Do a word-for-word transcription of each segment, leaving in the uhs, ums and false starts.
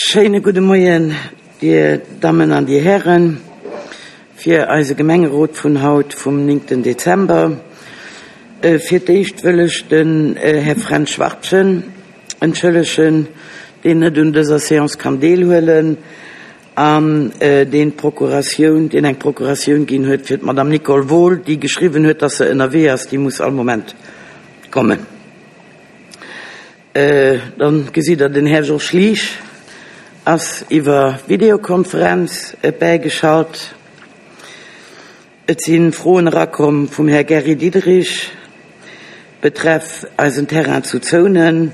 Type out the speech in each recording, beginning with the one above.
Schéine gudde Moien, Dir Dammen an Dir Hären, fir eise Gemengerot vun haut vum néngten Dezember. Fir d'éischt wëll ech den Här Fränz Schwartgen entschëllegen, deen net un dëser Séance kann deelhuelen an deen d'Procuratioun, deen eng Procuratioun ginn huet fir d'Madame Nicole Wohl, déi geschriwwen huet, dass se ënnerwee ass, déi muss all Moment kommen. Dann gesitt Der, den Här Georges Schlich ass iwwer Videokonferenz bäigeschalt. Et si Froen erakomm vum Här Gary Diderich betreff eisen Terrain zu Zounen,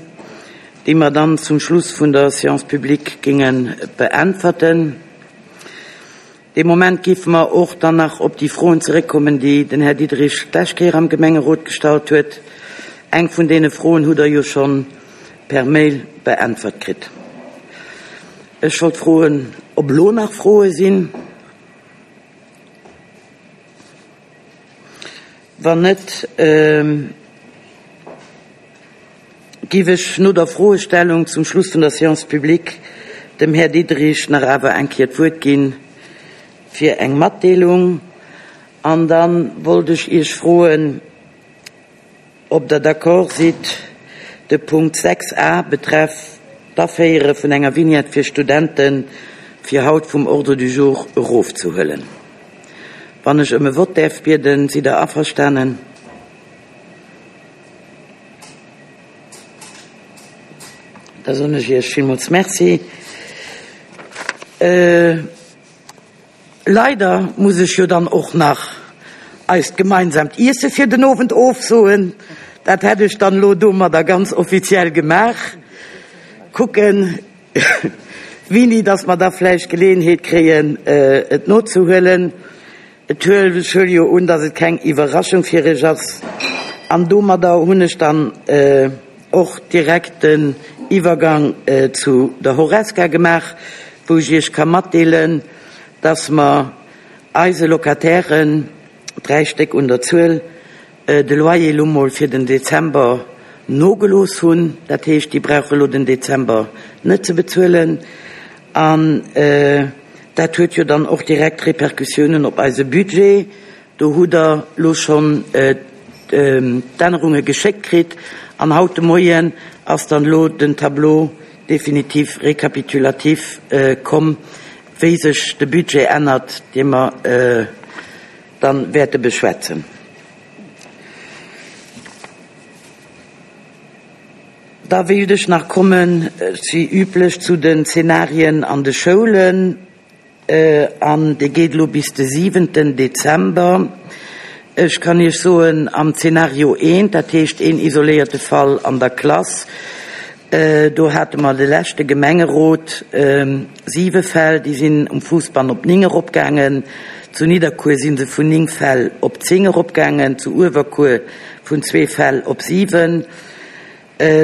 déi mer dann zum Schluss vun der Séance publique géinge beäntwerten. Dee Moment géife mer och dann nach op déi Froen zeréckkommen, déi den Här Diderich d'lescht Kéier am Gemengerot gestallt huet. Eng vun deene Froen hutt Der jo schonn per Mail beäntwert kritt. Ech wollt froen, ob elo nach Froe sinn. Wann net, géif ech no der Froestellung zum Schluss vun der Séance publique dem Här Diderich nach awer eng Kéier d'Wuert ginn fir eng Matdeelung. An da wollt ech Iech froen, ob Der d'accord sidd, de Punkt sechs a betreff d'Aféiere vun enger Vignette fir Studenten fir haut vum Ordre du jour erofzehuelen. Wann ech ëm e Vott däerf bieden, sidd Der averstanen? Da soen ech Iech villmools Merci. Leider muss ech jo dann och nach eist gemeinsamt Iesse fir den Owend ofsoen. Dat hätt ech dann elo domadder ganz offiziell gemaach. Kucken, wéini dass mer da vläicht Geleeënheet kréien, et nozehuelen. Et huel, ech huele jo un, dass et keng Iwwerraschung fir Iech ass. An domadder hunn ech dann och direkt den Iwwergang zu der Horesca gemaach, wou ech Iech ka matdeelen, dass mer eise Locatairen, dräi Stéck un der Zuel, de Loyer elo mol fir den Dezember nogelooss hunn. Dat heescht, déi brauche elo den Dezember net ze bezuelen. An dat huet jo dann och direkt Repercussiounen op eise Budget. Do hutt Der elo schonn d'Ännerunge geschéckt kritt. An haut de Moien ass dann elo den Tableau définitif récapitulatif komm, wéi sech de Budget ännert, dee mer dann wäerte beschwätzen. Da wéilt ech nach kommen, wéi üblech, zu den Zenarien an de Schoulen. An dee geet elo bis de siwenten Dezember. Ech kann Iech soen, am Zenario eent, dat heescht een isoléierte Fall an der Klass, do hate mer de leschte Gemengerot siwe Fäll, déi sinn um Fousbann op néng eropgaangen. Zu Nidderkuer si se vun néng Fäll op zéng eropgaangen, zu Uewerkuer vun zwee Fäll op siwen,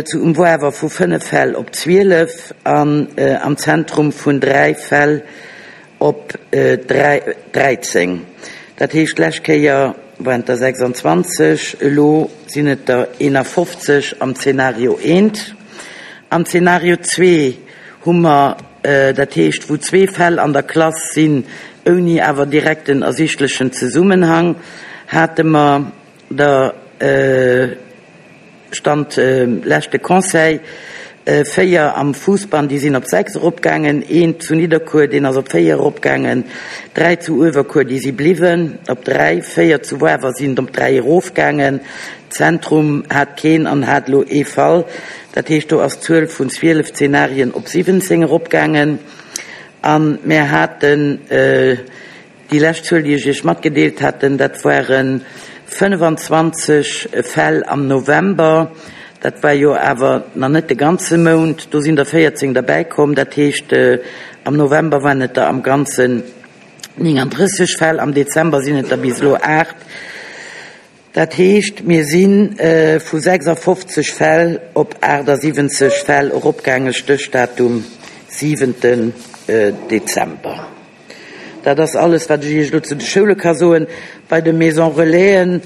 zu um Woawer vu fënnef Fäll op zwielef an am Zentrum vun dräi Fäll op dräizéng. Dat heescht, d'lescht Kéier waren et der sechsandzwanzeg, elo sinn et der eenafofzeg am Zenario eent. Am Zenario zwee hu mer, dat heescht, wou zwee Fäll an der Klass sinn, ouni awer direkten ersichtlechen Zesummenhang, hate mer der Stand leschte Conseil véier am Fuussbann, déi sinn op sechs eropgaangen, een zu Nidderkuer, deen ass op véier eropgaangen, dräi zu Uewerkuer, déi si bliwwen op dräi, véier zu Woawer sinn op dräi erofgaangen. Zentrum hat keen an hat elo ee Fall. Dat heescht, do ass d'Zuel vun zwielef Zenarien op siwwenzéng eropgaangen. A mir haten déi lescht Zuel, déi ech Iech matgedeelt haten, dat ware fënnefanzwanzeg Fäll am November. Dat war jo awer nach net de ganze Mount. Do sinn der véierzéng derbäikomm. Dat heescht, am November waren et der am Ganzen néngandrësseg Fäll, am Dezember sinn et der bis elo aacht. Dat heescht, mir si vu sechsafofzeg Fäll op aachtsiwwenzeg Fäll eropgaangen, Stéchdatum siwenten Dezember. Dat ass alles, wat ech Iech elo zu de Schoule ka soen. Bei de Maisons Relaisen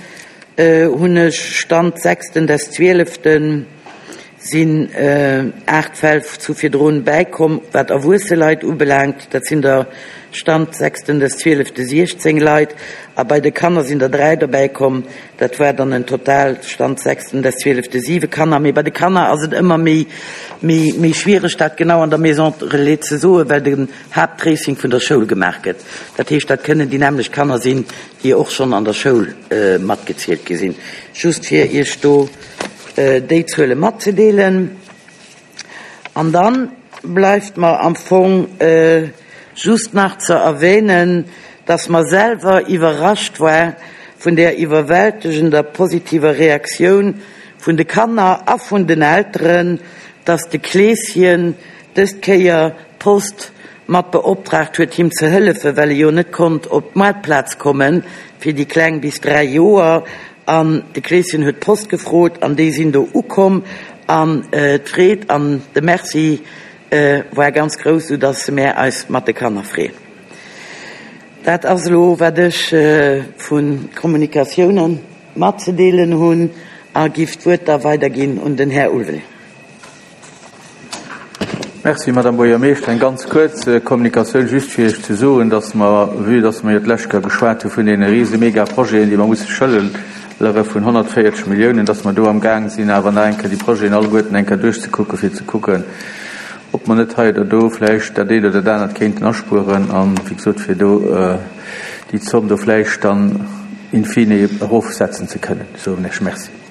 hunn ech Stand sechsten des zwieleften sinn aacht Fäll zu virdrun bäikomm, wat erwuesse Leit ubelaangt. Dat sinn der Stand sechsten des zwielefte siechzéng Leit. A bei de Kanner sinn der dräi dobäikomm. Dat war dann en Total Stand sechsten des zwielefte siwe Kanner. Mee bei de Kanner ass et ëmmer méi, méi, méi schwiereg, dat genau an der Maison relais ze soen, well den Haapttracing vun der Schoul gemaach gëtt. Dat heescht, dat kënnen déi nämmlecht Kanner sinn, déi och schonn an der Schoul matgezielt gi sinn. Just fir Iech do déi Zuele matzedeelen. An dann bleift mer am Fong just nach ze erwähnen, dass mer selwer iwwerrascht war vun der iwwerwältegender positiver Reaktioun vun de Kanner a vun den Elteren, dass de Kleeschen dës Kéier d'Post mat beoptraagt huet, him ze hëllefen, well e jo net konnt op d'Maartplaz kommen fir déi Kleng bis dräi Joer. An de Kleeschen huet d'Post gefrot an déi sinn do ukomm an d'Freed an de Merci war ganz grouss, sou dass mär eis mat de Kanner freeën. Dat ass elo wat ech vu Kommunikatiounen matzedeelen hunn a giff d'Wuert da weiderginn un den Här Ulveling. Merci, Madame Buergermeeschter. Eng ganz kuerz Kommunikatioun, just fir Iech ze soen, dass mer, vue dass mer jo d'lescht Kéier geschwat hu vun deene rise Megaprojeten, déi mer musse schëllere vun honnertvéierzeg Milliounen, dass mer do am Gaang sinn, awer nach eng Kéier déi Projeten alleguerten eng Kéier duerchzekucken, fir ze kucken, ob mer net hei oder do vläicht dat eent oder dat anert kéinten aspueren an, wéi gesot, fir do déi Zomm do vläicht dann in fine erofsetzen ze kënnen. Soen ech Merci.